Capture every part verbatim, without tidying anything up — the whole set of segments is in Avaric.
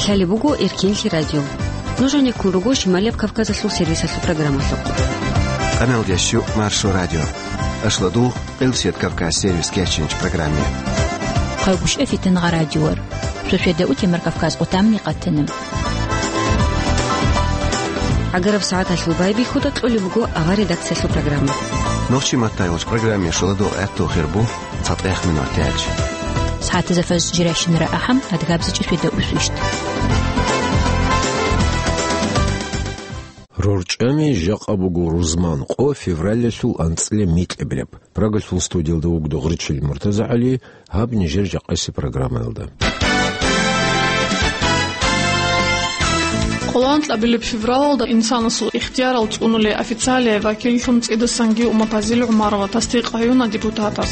Лъалеб буго Эркенлъи радио. Нуж гьанеккун руго Шималияб Кавказалъул сервисалъул программалъухъ. Къаналдящу Маршо радио. Ашладул Къилсият Кавказ сервис кечинч программе. Хъайгушев Фитнагъа радиор. Шошведа утемар Кавказ къутамни къатана. Агараб сагӀаталъул байбихьуда кьолеб буго авар редакциялъул программа. Нохчи маттайгъуч программе шуладул гӀатту хирбу. ЦатӀех минутач. СагӀатазда фаз жирашинара ахӀам, адгабзичӀи шведа усвищ. РорчӀами жакъа буго рузман къо февралалъул анцӀила микьабилеб. Прагалъул студиялда вугда Гъричил МуртазагӀали, гьаб нижер жакъаси программаялда. Къоло анкьабилеб февралалда инсанасул ихтиярал цӀунулей официалияй вакиллъун цӀидасанги Умапазил ГӀумарова тасдикъ гьаюна депутатас.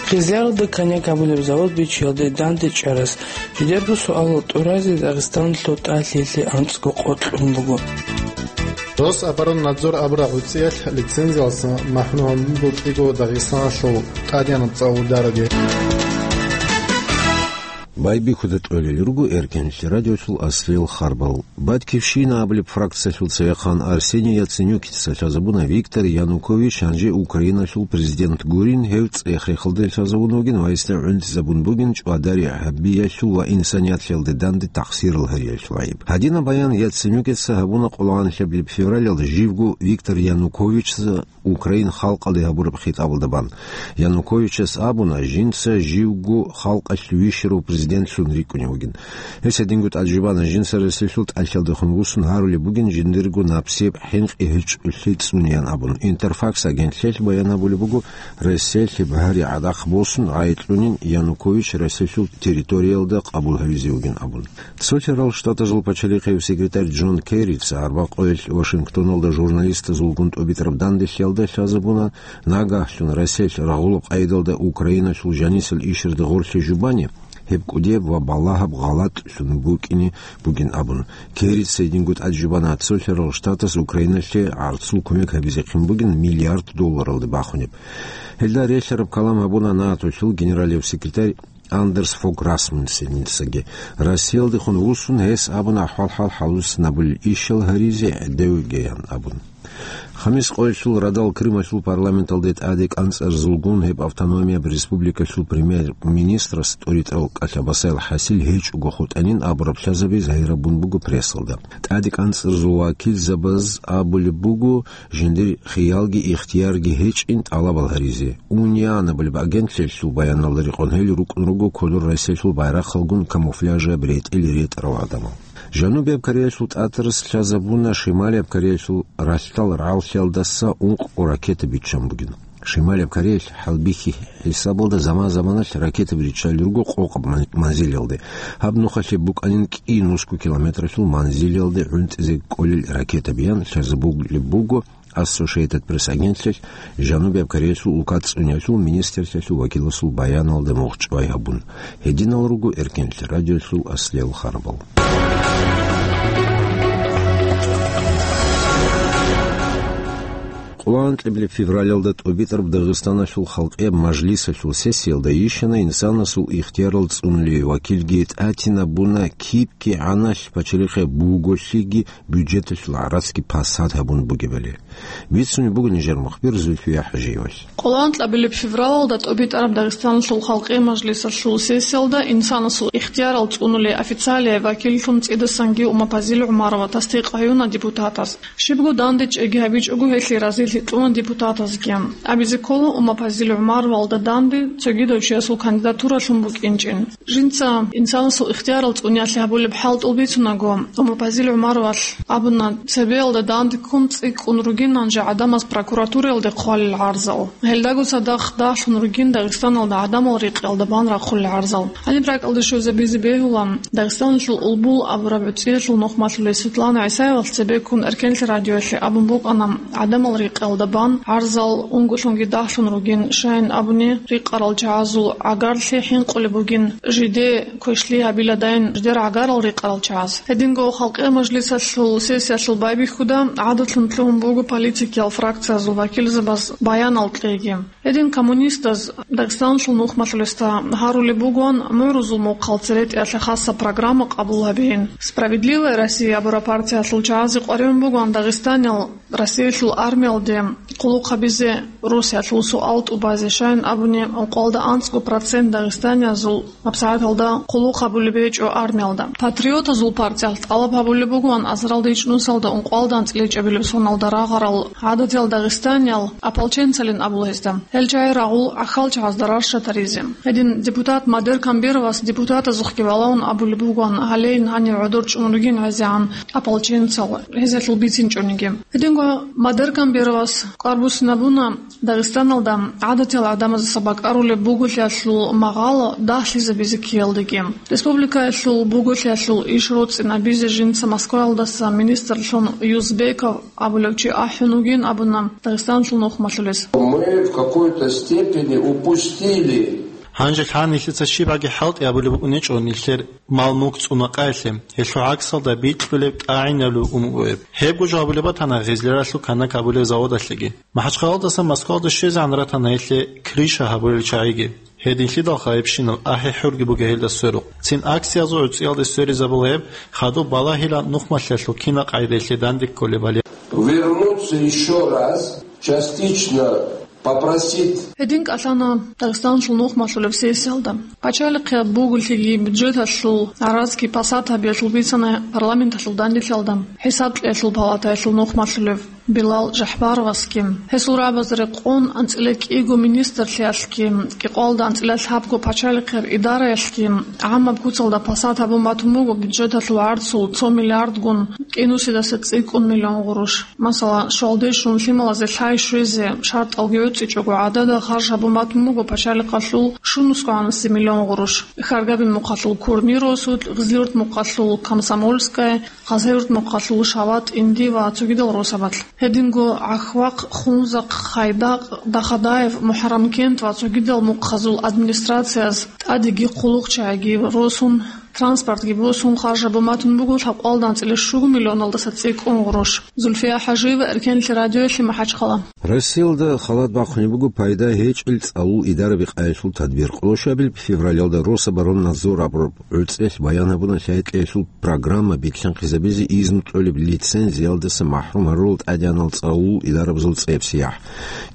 Хизаралда коньяк гьабулеб завод бичиялде данде чӀарас, жидерго суалал тӀуразе Дагъистаналъул тӀалъиялъе анцӀго къо кьун буго. Рособороннадзор абураб гӀуцӀиялъ лицензиялдаса махӀрум гьабун букӀиго Дагъистаналъул тӀадегӀанаб цӀалудараби. Байбихьуда кьолел руго Эркенлъи радиолъул аслиял харбал. Батькивщина абулеб фракциялъул цевехъан Арсений Яценюкица лъазабуна Виктор Янукович гьанже Украиналъул президент гурин, гьев цӀех-рехалде лъазабун вугин ва гьесда гӀунтӀизабун бугин чӀвадари гьабиялъул ва инсанияталъе данде тахсирал гьариялъул гӀайиб. Гьадинаб баян Яценюкица гьабуна къоло анлъабилеб февралалда живго Виктор Януковичца Украин халкъалде гьабураб хитӀабалда бан. Януковичас абуна, жинца живго халкъалъ вищарав президентлъун рикӀкӀунев вугин. Гьес гьединго тӀаде щвана, жинца Россиялъул тӀалъалдехун вуссун гьарулеб бугин жиндирго напсияб хӀинкъи гьечӀолъи цӀунеян абун. Интерфакс агентлъиялъ баян гьабулеб буго, Россиялъе багьари гӀадахъ босун гӀайикьунин Янукович Россиялъул территориялда къабул гьавизе вугин абун. Цолъарал Штатазул пачалихъев секретарь Джон Керрица арбакъоялъ Вашингтоналда журналистазулгун тӀубитӀараб данделъиялда лъазабуна, нагагьлъун Россиялъ рагъулаб къайдалда Украиналъул жанисел ишарда гъорлъе жубани, гьеб кӀудияб ва балагьаб гъалатӀлъун букӀине бугин абун. Керрица гьединго тӀаде щвана, цолъарал Штатас Украиналъе гӀарцул кумек гьабизехъин бугин миллиард долларалде бахунеб. Гьелда релълъараб калам гьабуна НАТОлъул генералияб секретарь Андерс Фог Расмуссеницаги. Россиялдехун вуссун гьес абуна ахӀвал-хӀал гьалуссинабулел ишал гьаризе гӀедегӀугеян абун. Хамис къоялъул радал Крымалъул парламенталде тӀаде кӀанцӀарзулгун гьеб автономияб республикалъул премьер-министрас тӀуритӀал кӀалъа Басаил ХӀасил гьечӀого хутӀанин абураб лъазаби загьирабун буго прессалда. ТӀаде кӀанцӀарзул вакилзабаз абулеб буго, жиндир хиялги ихтиярги гьечӀин тӀалабал гьаризе. УНИАН абулеб агентлъиялъул баяналда рекъон гьел рукӀун руго кодор Россиялъул байрахъалгун камуфляжаб ретӀел ретӀарал гӀадамал. Жанубияб Кореялъул тӀатарас лъазабуна Шималияб Кореялъул ралъдал рагӀаллъиялдаса ункъго ракета биччан бугин. Шималияб Кореялъ хӀалбихьи хӀисабалда заман-заманалъ ракетаби риччалел руго къокъаб ман-, манзилалде. Гьаб нухалъе букӀанин кӀи нусго километралъул манзилалде гӀунтӀизе кӀолел ракетабиян лъазабулеб буго Associated Press агентлъиялъ Жанубияб Кореялъул улка цӀуниялъул министрлъиялъул вакиласул баяналда мухӀчӀвай гьабун. Гьединал руго Эркенлъи радиолъул аслиял харбал. Къоло анкьабилеб февралалда тӀубитӀараб Дагъистаналъул халкъияб мажлисалъул сессиялда йищана инсанасул ихтиярал цӀунулей вакилги, тӀатинабуна киб кигӀаналъ пачалихъе буголъиги бюджеталъул гӀарацги пасат гьабун бугебали. Бицунеб буго нижер мухбир Зульфия ХӀажиевалъ. Къоло анкьабилеб февралалда тӀубитӀараб Дагъистаналъул халкъи мажлисалъул сессиялда инсанасул ихтиярал цӀунулей официалияй вакиллъун цӀидасанги Умапазил ГӀумарова тасдикъ гьаюна депутатас. Щибго данде чӀеги гьабичӀого гьелъие разилъи кьуна депутатазги. Абизе ккола, Умапазил ГӀумаровалда данде цогидав чиясул кандидатуралъун букӀинчӀин. Жинца инсанасул ихтиярал цӀуниялъе гьабулеб хӀалтӀул бицунаго, Умапазил ГӀумаровалъ абуна, цебеялда данде ккун цӀикӀкӀун ругин гьанже гӀадамаз прокуратураялде хъвалел гӀарзал. Гьелдаго цадахъ дагьлъун ругин Дагъистаналда гӀадамал рекъиялда бан рахъулел гӀарзал. Гьаниб ракӀалде щвезе бизе бегьула, Дагъистаналъул Улбул абураб гӀуцӀиялъул нухмалъулей Светлана ГӀисаевалъ цебеккун Эркенлъи радиоялъе абун букӀана, гӀадамал рекъ Алда бан гӀарзал унголъунги дагьлъун ругин, щайин абуни, рикъарал чагӀазул гӀагарлъи хӀинкъулеб бугин, жиде квешлъи гьабиладайин жидер гӀагарал рикъарал чагӀаз. Гьединго Халкъиял мажлисалъул сессиялъул байбихьуда гӀадатлъун лъугьун буго политикиял фракциязул вакилзабаз баянал кьеги. Гьедин коммунистаз Дагъистаналъул нухмалъулесда гьарулеб бугоан мугӀрузул мухъал церетӀиялъе хаса программа къабул гьабеин. «Справедливая Россия» абураб партиялъул чагӀазе къваригӀун бугоан Дагъистаниял Россиялъул армиялде хъулухъ гьабизе Русиялъул суал тӀубазе, щайин абуни, ункъоялда анцӀго процент дагъистаниязул гьабсагӀаталда хъулухъ гьабулеб гьечӀо армиялда. Патриотазул партиялъ тӀалаб гьабулеб бугоан азаралда ичӀнусалда ункъоялда анцӀила ичӀабилеб соналда рагъарал гӀададиял дагъистаниял ополченцалин абула гьезда. Гьел чагӀи рагъул ахал чагӀазда рарща таризе. Гьедин депутат Мадер Камбировас депутатазухъги валавун абулеб бугоан, гьалейин гьанив гӀодор чӀун ругин гӀезегӀан ополченцал, гьезиялъул бицинчӀониги. Гьединго Мадер Камбировас кӀвар буссинабуна Дагъистаналда гӀадатиял гӀадамаздаса бакӀарулеб буголъиялъул магъало дагьлъизабизе ккеялдеги. Республикаялъул буголъиялъул иш роцӀцӀинабизе жинца Москваялдаса министрлъун Юзбеков абулев чи ахӀун вугин абуна Дагъистаналъул нухмалъулес. Мы в какой-то степени упустили. Гьанже лъан нилъеца щибаги хӀалтӀи абулеб букӀунечӀо нилъер мал-мулк цӀунакъаялъе, гьелъул гӀаксалда бикьулеб тӀагӀинабулеб умугӀеб. Гьебго жо гьабулеб батана гъезлералъул канак гьабулеб заводалъеги. МахӀачхъалаялдаса Москваялде щвезегӀан ратана гьелъе крыша гьабулел чагӀиги. Гьединлъидалха гьебщинаб ахӀи-хӀурги бугеб гьелда сверухъ. Цин акциязул гӀуцӀиялде сверизабула гьеб, хадуб балагьила нухмалъиялъул кинаб къагӀидаялъе данде кколебали. Вернуться ещё раз, частично попросить. Гьедин кӀалъана Дагъистаналъул нухмалъулеб сессиялда. Пачалихъе буголъиги бюджеталъул гӀаразги пасат гьабиялъул бицана парламенталъул данделъиялда ХӀисаб кьеялъул палатаялъул нухмалъулев Билал Жахбаровасги. Гьесул рагӀабазда рекъон анцӀила кӀиго министрлъиялъги, кӀикъоялда анцӀила лъабго пачалихъеб идараялъги гӀамаб куцалда пасат гьабун батун буго бюджеталъул гӀарцул цо миллиардгун кӀинусидаса цӀикӀкӀун миллион гъурущ. Масала, щвалде щун лъималазе лъай щвезе шартӀалги гӀуцӀичӀого гӀадада харж гьабун батун буго пачалихъалъул щунусго гӀанаси миллион гъурущ. Хьаргабил мухъалъул Курми росулъ, Гъизлиюрт мухъалъул Комсомольская, Хасавюрт мухъалъул Шават, Инди ва цогидал росабалъ. Гьединго ГӀахвахъ, Хунзахъ, Хайдакъ, Дахадаев, МухӀаррамкент ва цогидал мухъазул администрацияз тӀадеги хъулухъчагӀиги росун, транспортги босун харж гьабун батун буго лъабкъоялда анцӀила щуго миллионалдаса цӀикӀкӀун гъурущ. Зульфия ХӀажиева, Эркенлъи радиоялъе, МахӀачхъала. Россиялда халат бахъунеб буго пайда гьечӀел цӀалул идараби къайилъул тадбир. Къоло щуабилеб февралалда Рособороннадзор абураб гӀуцӀиялъ баян гьабуна лъай-кьеялъул программа битлъанхъизабизе изну кьолеб лицензиялдаса махӀрум гьарурал тӀадегӀанал цӀалул идарабазул цӀебсияхӀ.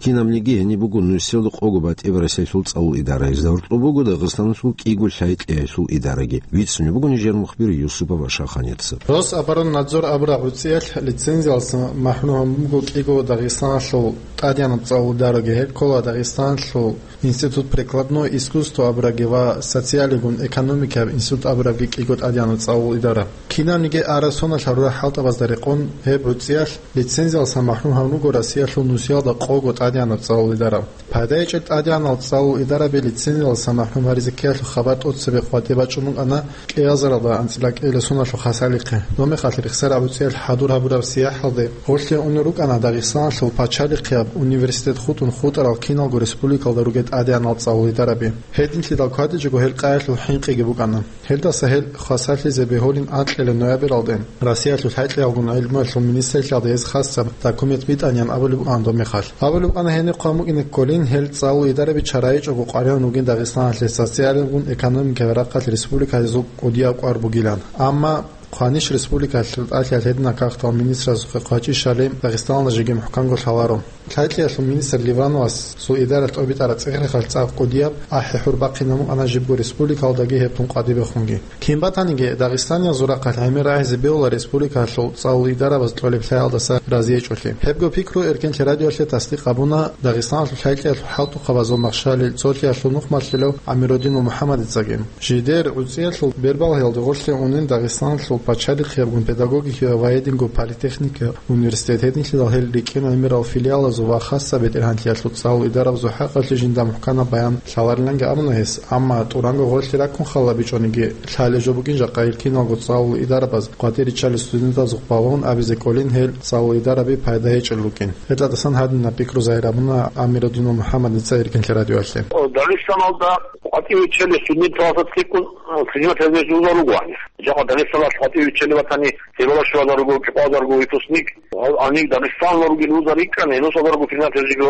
Кинабниги гьениб буго нусиялда къого батӀияб Россиялъул цӀалул идараязда, гьоркьоб буго Дагъистаналъул кӀиго лъай-кьеялъул идараги. Бицунеб буго нижер мухбир Юсупов Ашаха Нерцев. Рособороннадзор абураб гӀуцӀиялъ лицензиялдаса махӀрум гьабун буго кӀиго Дагъистаналъул тӀадегӀанаб цӀалул идараги, гьеб ккола Дагъистаналъул Институт прикладной искусство абурабги ва социалигун экономикаяб институт абурабги кӀиго тӀадегӀанаб цӀалул идара. Кинабниги араб соналъ гьарурал хӀалтӀабазда рекъон гьеб гӀуцӀиялъ лицензиялдаса махӀрум гьавун руго Россиялъул нусиялда къого тӀадегӀанаб цӀалул идара. Пайда гьечӀел тӀадегӀанал цӀалул идараби лицензиялдаса махӀрум гьаризе ккеялъул хабар тӀоцебе къватӀибе бачӀун букӀана кӀиазаралда анцӀила кӀиабилеб соналъул хасалихъе. Доб мехалъ рехсараб гӀуцӀиялъ хӀадур гьабураб сияхӀалде гъорлъе унел рукӀана Дагъистаналъул пачалихъияб университет хутӀун хутӀарал киналго республикалда ругел тӀадегӀанал цӀалул идараби. Гьединлъидал кватӀичӀого гьел къайилъул хӀинкъиги букӀана. Гьелдаса гьел хвасарлъизе бегьулин анкьила ноябралде Россиялъул лъай-кьеялгун гӀилмуялъул министрлъиялда гьез хасаб документ битӀанин абулеб букӀана доб мехалъ. Абулеб букӀана гьениб хъван букӀине кколин гьел цӀалул идараби чарайичӀого къваригӀун ругин Дагъистаналъе социалилгун экономикаяб рахъалъ республикалъул кӀудияб кӀвар бугилан. Амма хъванищ республикалъул тӀалъиялъ гьединал какдал министрасухъе хъвачӀищали Дагъистаналда жеги мухӀканго лъаларо. Лъай-кьеялъул министр Ливановасул идаралъ тӀобитӀараб цӀехрехалъ цӀакъ кӀудияб ахӀи-хӀур бахъинаб букӀана жибго республикалдаги гьеб тун къватӀибехунги. Кин батаниги, дагъистаниязул рахъалъ гӀемер рагьизе бегьула республикалъул цӀалул идарабаз кьолеб лъаялдаса разиечӀолъи. Гьебго пикру Эркенлъи радиоялъе тасдикъ гьабуна Дагъистаналъул лъай-кьеялъул хӀалтӀухъабазул махщалил цолъиялъул нухмалъулев ГӀамирудинов МухӀаммадицаги. Жидер гӀуцӀиялъул бербалъиялде гъорлъе унин Дагъистаналъул пачалихъиябгун педагогикияв ва гьединго политехникияв университет, гьединлъидал гьел рикӀкӀин гӀемерал филиалаз ва хасса бетӀергьанлъиялъул цӀалул идарабазул хӀакъалъулъ жинда мухӀканаб баян лъалариланги абуна гьес, амма тӀуранго гъорлъи раккун халабичӀониги, лъалеб жо бугин жакъа гьел киналго цӀалул идарабаз къватӀир риччалел студентазухъ балагьун абизе кӀолин гьел цӀалул идараби пайда гьечӀел рукӀин. Гьелдасан гьадинаб пикру загьир гьабуна Амируддинов МухӀаммадица Иркинлъи радиоялъе. Дагъистаналда къватӀир риччалел студенталъа цӀикӀкӀун, э, принимать гьабизе вузал руго гьанир. Жакъа Дагъистаналъ къватӀир риччалев ватани, гьебала щвазар руго, кӀикъвазарго выпускник. Гьал гьанир Дагъистаналда ругел вузал рикӀкӀана, гьелдасазарго принимать гьабизе, э,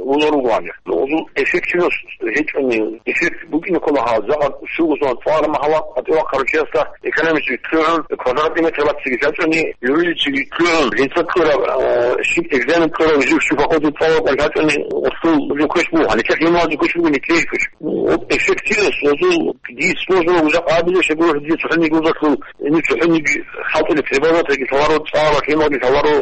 вузал руго гьанир. Гьезул эффективность гьечӀони, эффект букӀине ккола гьал, жакъа щуго сон цӀалараб махала къватӀивахъарав чиясда экономически лъугӀун, квадратный метр бацциги лъачӀони, юридически лъугӀун, жинца ккураб, э, щиб экзамен ккураб, жив щиб факультет цӀалараб лъачӀони, гъосул жо квеш буго, гьаниб технология квеш буго, нилъее квеш. Вот эффективность, вот дие сложно уже абиле, что говорю, дие цохӀониги вузалъул, ини цохӀониги хӀалтӀулеб требовательги лъаларо, цӀалараб лъималги лъаларо,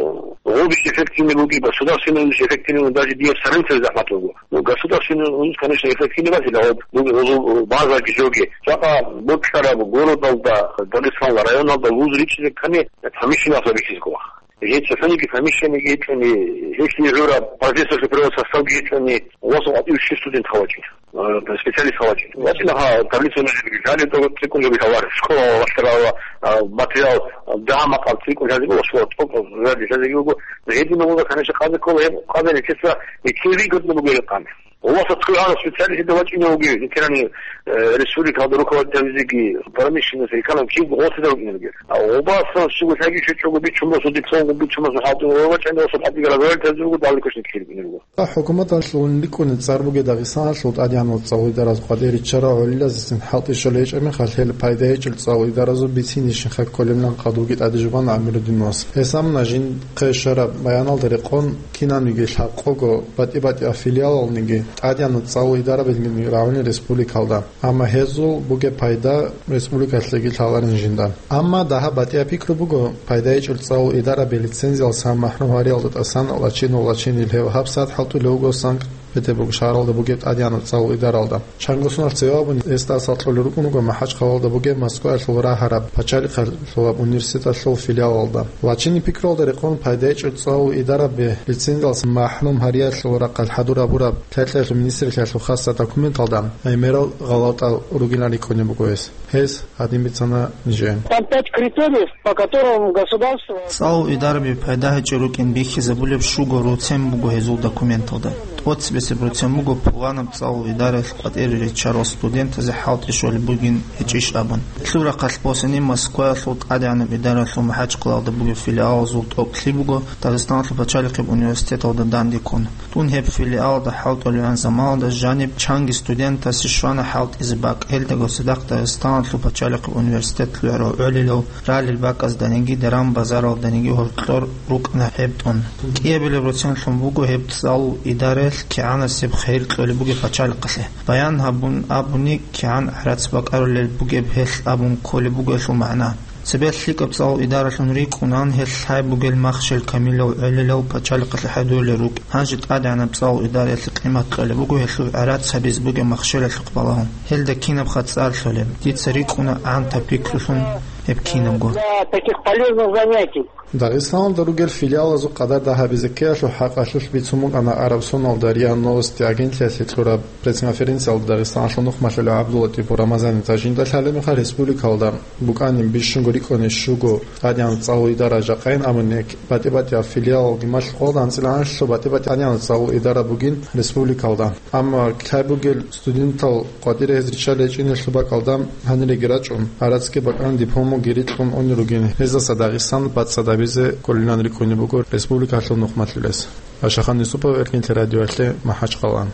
гъобищ эффективный буги, государственный вузищ эффективный, даже дие соревноваться захватывал. Ну, государственный вузищ, конечно, эффективный базила, вот, ну, гъозул базаги жоги. Жакъа бокьараб городалда, Дагъистаналда, районалда вуз ричӀчӀизехъани, помещение асабихьизго. Гьеб цохӀониги помещениеги гьечӀони, гьелъие гӀураб профессорский первый составги гьечӀони, гъосул къватӀив щиб студент хавачӀин, э, специалист хавачӀин. ВачӀина гьа таблица нужеги, гьале тӀокӀ цӀикӀкӀун жоги хавар, школа вахтарала, а, материал, а, дагьа-макъаб цӀикӀкӀун хӀазе буго, школа тӀокӀ гьазе буго. Гьединав вуго, конечно, къазе ккола, гьеб къазе нилъеца нилъее выгодно бугеб къан. Гъосда цо гьарав специалист вачӀине вугев, ветерани, э, республикалда руководитель гьабизеги, промышленность, экономика, киб гъосда вукӀине вугев. А гъобасан щуго лъаги щвечӀого бичун босун, дипломго бичун босун хӀалтӀун ва вачӀани гъосда хӀалтӀиги разговаривать гьабизе вуго, далде квешники ккелеб буго. ХӀукуматалъул ликӀуни цӀар бугеб Дагъистаналъул тӀадегӀанав цӀалул идараялъ къватӀир риччарал гӀолилазецин хӀалтӀи щолеб гьечӀеб мехалъ, гьел пайда гьечӀел цӀалул идаразул бицинищинха кколебилан къадруги тӀадежубана Амируддиновас. Гьес абуна, жинхъе щвараб баяналда рекъон кинабниги лъабкъого батӀи-батӀияб филиалалниги, тӀадегӀанаб цӀалул идарабилгин рагӀуни республикалда. Амма гьезул бугеб пайда республикалъеги лъаларин жинда. Амма дагьаб батӀияб пикру буго, пайда гьечӀел цӀалул идараби лицензиялдасан махӀрум гьариялда тӀасан лачинав лачин ил гьев гьабсагӀат хӀалтӀулев вуго Санкт-Петербург шагьаралда бугеб тӀадегӀанаб цӀалул идаралда. Чанго соналъ цеве абун, гьесда асал кьолел рукӀун вуго МахӀачхъалалда бугеб Москваялъул рагьараб пачалихъалъулаб университеталъул филиалалда. Лачинаб пикруялда рекъон пайда гьечӀел цӀалул идараби лицензиялдасан махӀрум гьариялъул рахъалъ хӀадур гьабураб лъай-лъаялъул министрлъиялъул хасса документалда гӀемерал гъалатӀал ругилан рикӀкӀунеб буго гьес. Гьес гьадин бицана нижее. Там пять критериев, по которым государство... ЦӀалул идараби пайда гьечӀел рукӀин бихьизабулеб щуго руцен буго гьезул документалда. ТӀоцебесеб руцен буго пуланаб цӀалул идараялъ къватӀире риччарал студентазе хӀалтӀи щолеб бугин гьечӀищ абун. Гьелъул рахъалъ босани Москваялъул тӀадегӀанаб идаралъул МахӀачхъалалда бугеб филиалазул тӀокӀлъи буго Дагъистаналъул пачалихъеб университеталда данде ккун. Дун гьеб филиалалда хӀалтӀулевгӀан заманалда жаниб чанги студентасе щвана хӀалтӀизе бакӀ, гьелдаго цадахъ Дагъистаналъул пачалихъеб университет лъугӀарав гӀолилал ралел бакӀазданиги, даран-базаралданиги гьоркьор рукӀана гьеб тӀун. КӀиабилеб руценлъун буго гьеб цӀалул идараялъ кигӀанасеб хейр кьолеб бугеб пачалихъалъе. Баян гьабун абуни, кигӀан гӀарац бакӀарулел бугеб гьелъ абун кколеб буго гьелъул магӀна. Цебе лъикӀаб цӀалул идаралъун рикӀкӀунан гьелъ лъай бугел махщел камилав гӀолилал пачалихъалъе хӀадурулел рукӀ. Гьанже тӀадегӀанаб цӀалул идараялъе къимат кьолеб буго гьелъул гӀарац гьабизе бугеб махщелалъухъ балагьун. Гьелда кинаб хъацӀар лъолеб? Дица рикӀкӀуна гӀантаб пикрулъун гьеб кинабго. Для таких полезных занятий. Дагъистаналда ругел филиалазул къадар дагьабизе ккеялъул хӀакъалъулъ бицун букӀана Араб соналда РИА Новости агентлъиялъе кьураб пресс-конференциялда Дагъистаналъул нухмалъулев ГӀабдуллатӀипов Рамазаница. Жинда лъалеб мехалъ республикалда букӀанин бищунго рикӀкӀуней щуго тӀадегӀан цӀалул идара жакъайин абуни, батӀи-батӀияб филиалалги малъухъалда анцӀила анлъго батӀи-батӀи тӀадегӀан цӀалул идара бугин республикалда. Амма лъай бугел студентал къватӀире гьез риччалел гьечӀинелъул бакӀалда гьаниреги рачӀун, гӀарацги бакӀан дипломги рикьун унел ругин. Гьездаса Дагъистан бацӀцӀадабизе кколилан рикӀкӀунеб буго республикалъул нухмалъулес. Ашахан Юсупов, Эркинлъи радиоялъе, МахӀачхъала.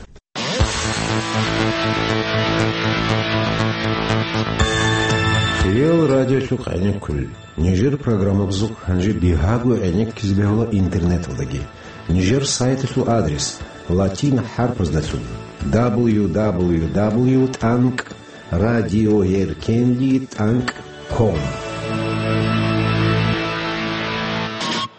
Хириял радиолъухъ гӀенеккулел. Нижер программабазухъ гьанже бигьаго гӀенеккизе бегьула интернеталдаги. Нижер сайталъул адрес латин хӀарпаздалъун: дабл ю дабл ю дабл ю тӀанкӀ радиоеркенлъи тӀанкӀ ком.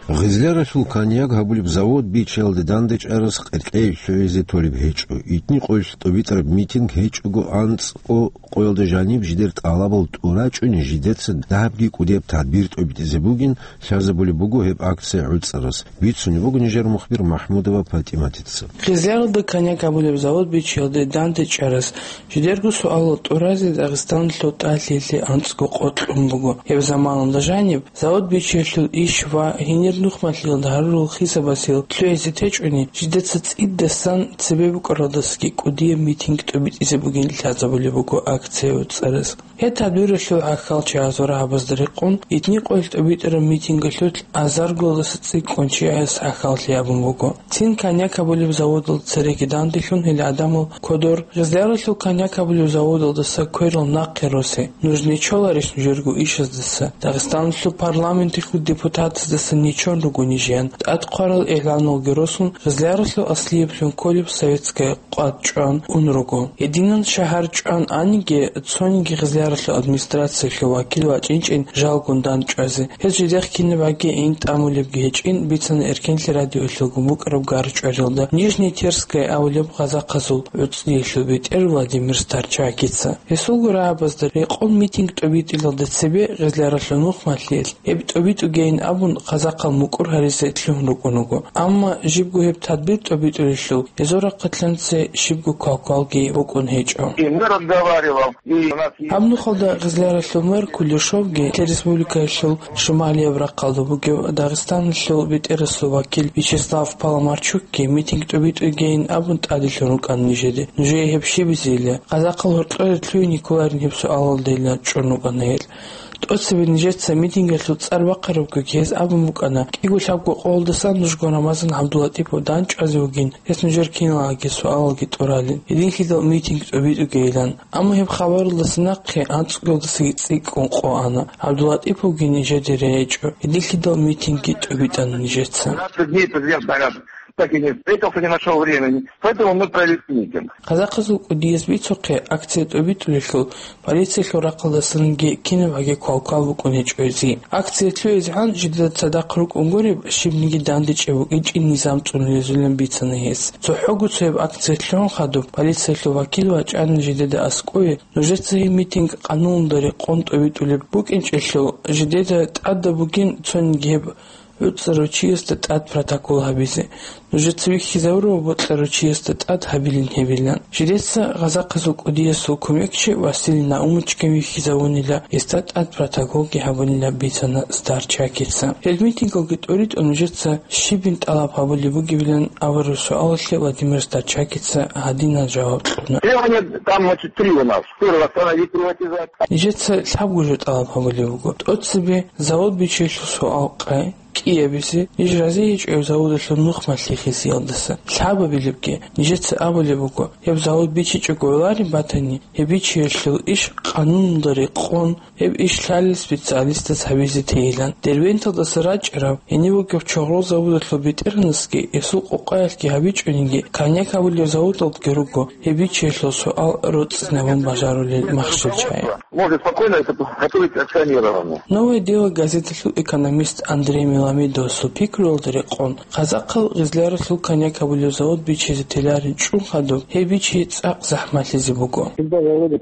Гъизляралъул коньяк гьабулеб завод бичиялде дандечӀарас къеркьей лъугӀизе толеб гьечӀо. Итни къоялъ тӀубитӀараб митинг гьечӀого анцӀго къоялда жаниб жидер тӀалабал тӀурачӀони жидеца дагьабги кӀудияб тадбир тӀубитӀизе бугин, лъазабулеб буго гьеб акция гӀуцӀарас. Бицунеб буго нижер мухбир МахӀмудова ПатӀиматица. Гъизляралда коньяк гьабулеб завод бичиялде дандечӀарас жидерго суалал тӀуразе Дагъистаналъул тӀалъиялъе анцӀго къо кьун буго. Гьеб заманалда жаниб завод бичиялъул иш ва гьенир нухмалъиялда гьарурал хисабасел лъугӀизе течӀони, жидеца цӀидасан цебе букӀаралдасаги кӀудияб митинг тӀубитӀизе бугин лъазабулеб буго акция гӀуцӀарас. Гьеб тадбиралъул гӀахьалчагӀаз ва рагьабазда рекъон, итни къоялъ тӀубитӀараб митингалъулъ азаргоялдаса цӀикӀкӀун чияс гӀахьаллъи гьабун буго. Цин коньяк гьабулеб заводалда цереги данделъун гьел гӀадамал кодор, Гъизляралъул коньяк гьабулеб заводалдаса кверал нахъе росе, нуж нечоларищ нужерго ишаздаса, Дагъистаналъул парламенталъул депутатаздаса нечон руго нижиян, тӀадхъварал игӀланалги росун, Гъизляралъул аслияблъун кколеб советская къват чӀван ун руго. Гьединан шагьар чӀван аниги, цониги Гъизляралъул администрациялъул вакил вачӀинчӀин жалгун дандчӀвазе. Гьез жидехъ кинаб гӀаги гӀин тӀамулебги гьечӀин, бицана Эркенлъи радиоялъулгун букӀараб гар чӀвариялда Нижний Терская абулеб гъазахъазул гӀуцӀиялъул бетӀер Владимир Старчакица. Гьесулго рагьабазда рекъон митинг тӀубитӀилалда цебе Гъизляралъул нухмалъиялъ гьеб тӀубитӀугейин абун, гъазахъал мукӀур гьаризе лъугьун рукӀун руго. Амма жибго гьеб тадбир тӀубитӀулелъул, гьезул рахъалъанце щибго квалквалги букӀун гьечӀо. И мы разговаривал, и у нас есть... Гьаб нухалда Гъизляралъул мэр Кулешовги, республикаялъул шималияб рахъалда бугев Дагъистаналъул бетӀерасул вакил Вячеслав Паламарчукги митинг тӀубитӀугейин абун тӀаделъун рукӀана нижеде. Нужее гьеб щибизейила? Гъазахъал гьоркьоре лъугьине кколарин гьеб суалалдейилан чӀун рукӀана гьел. ТӀоцебе нижеца митингалъул цӀар бахъарабгоги гьез абун букӀана, кӀиго-лъабго къоялдасан нужго Рамазан ГӀабдуллатӀипов дандчӀвазе вугин, гьес нужер киналгӀаги суалалги тӀуралин, гьединлъидал митинг тӀубитӀугейилан. Амма гьеб хабаралдаса нахъе анцӀгоялдасаги цӀикӀкӀун къо ана. ГӀабдуллатӀиповги нижеде регӀичӀо, гьединлъидал митингги тӀубитӀана нижеца. Двадцать дней президент, наверное, так и не встретился, не нашел времени. Поэтому мы провели митинг. Гъазахъазул кӀудияз бицухъе, акция тӀубитӀулелъул, полициялъул рахъалдасанги кинаб гӀаги квалквал букӀун гьечӀо гьезие. Акция лъугӀизегӀан жидеда цадахъ рукӀун гуреб, щибниги дандечӀеб букӀинчӀин низам цӀунулезулин бицана гьес. ЦохӀого цояб акция лъугӀун хадуб, полициялъул вакил вачӀана жидеда аскӀове, нужеца гьеб митинг къануналда рекъон тӀубитӀулеб букӀинчӀелъул, жидеда тӀадаб бугин цониги гьеб гӀуцӀарав чиясда тӀад протокол гьабизе. Нужеца вихьизавурав бокьарав чиясда тӀад гьабилин гьебилан. Жидеца гъазахъазул кӀудиясул кумекчи Василий Наумовичги вихьизавунила, гьесда тӀад протоколги гьабунила, бицана Старчакица. Гьел митингалги тӀуритӀун нужеца щибин тӀалаб гьабулеб бугебилан абураб суалалъе Владимир Старчакица гьадинал жаваб кьуна. Требования там, значит, три у нас. Первое, остановить приватизацию. Нижеца лъабго жо тӀалаб гьабулеб буго. ТӀоцебе завод бичиялъул суал къай кӀиабизе, ниж разигьичӀев заводалъул нухмалъи хисиялдаса. Лъабабилебги, нижеца абулеб буго, гьеб завод бичичӀого гӀолареб батани, гьеб бичиялъул иш къануналда рекъон, гьеб иш лъалел специалистаз гьабизе тейилан. Дербенталдаса рачӀарав, гьенив вугев чогърол заводалъул бетӀергьанасги, гьесул къокъаялъги гьабичӀониги, коньяк гьабулев заводалдги руго гьеб бичиялъул суал роцӀцӀинабун бажарулел махщел чагӀи. Может спокойно это готовить акционирование. «Новое дело» газеталъул экономист Андрей Меламедовасул пикруялда рекъон, гъазахъал Гъизляралъул коньяк гьабулев завод бичизе теларин чӀун хадуб, гьеб бичи цӀакъ захӀмалъизе буго. Судьба завода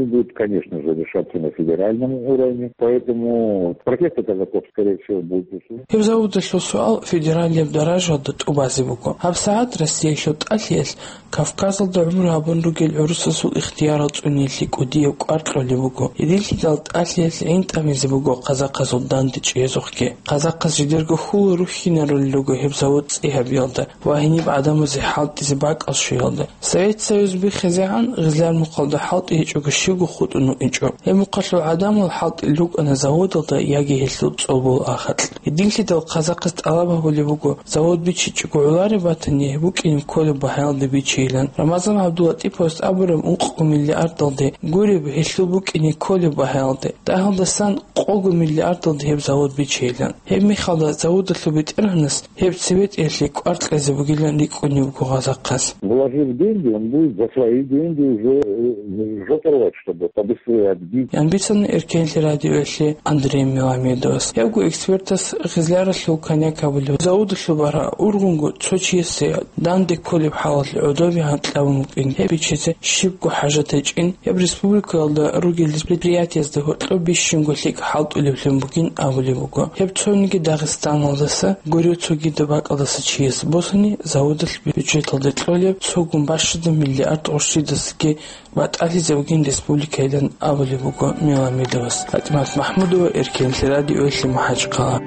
будет, конечно же, решаться на федеральном уровне, поэтому протесты казаков, скорее всего, будут услышаны. Гьеб заводалъул суал федералияб даражалда тӀубазе буго. ГьабсагӀат Россиялъул тӀалъиялъ Кавказалда гӀумру гьабун ругел гӀурусазул ихтиярал цӀуниялъе кӀудияб кӀвар кьолеб буго. Гьединлъидал тӀалъиялъ гӀин тӀамизе буго гъазахъазул дандечӀезухъги. Гъазахъаз жидерго хьул рухьинарулел руго гьеб завод цӀи гьабиялда ва гьениб гӀадамазе хӀалтӀизе бакӀал щвеялда. Совет Союз биххизегӀан Гъизлар мухъалда хӀалтӀи гьечӀого щивго хутӀун вукӀинчӀо. Гьеб мухъалъул гӀадамал хӀалтӀил рукӀана заводалда яги гьелъул цӀолбол ахакь. Гьединлъидал гъазахъаз тӀалаб гьабулеб буго, завод бичичӀого гӀолареб батани, гьеб букӀине кколеб багьаялде бичейилан. Рамазан ГӀабдуллатӀиповас абураб ункъго миллиардалде гуреб гьелъул букӀине кколеб багьаялде, дагьалдасан къого миллиардалде гьеб завод бичейилан. Гьеб мехалда заводалъул бетӀергьанас гьеб цебетӀеялъе кӀвар кьезе бугилан рикӀкӀунеб буго гъазахъас. Вложив деньги, он будет за свои деньги уже, э, жопу рвать. чтобы побыстрее отбить. Ян бицана Эркенлъи радиоялъе Андрей Меламедовас. Гьебго экспертас Гъизляралъул коньяк абулеб заводалъул баргьа ургъунго цо чиясе данде кколеб хӀалалъ гӀодобе гьанкьабун букӀин, гьеб бичизе щибго хӀажат гьечӀин, гьеб республикаялда ругел предприятиязда гьоркьоб бищунго лъикӀ хӀалтӀулеблъун бугин абулеб буго. Гьеб цониги Дагъистаналдаса гурев цогидаб бакӀалдаса чияс босани, заводалъ бюджеталде кьолеб цогун бащада миллиард гъурщидасаги батӀалъизе бугин республикайилан абулеб буго Меламедовас. ПатӀимат МахӀмудова, Эркенлъи радиоялъе, МахӀачхъала.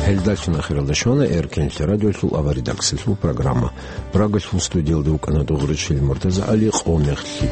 Гьелдалъун ахиралда щвана Эркенлъи радиоялъул аваридаксалъул программа. Прагалъул студиялда вукӀана Дугъричил МуртазагӀали. Къо мехлъи.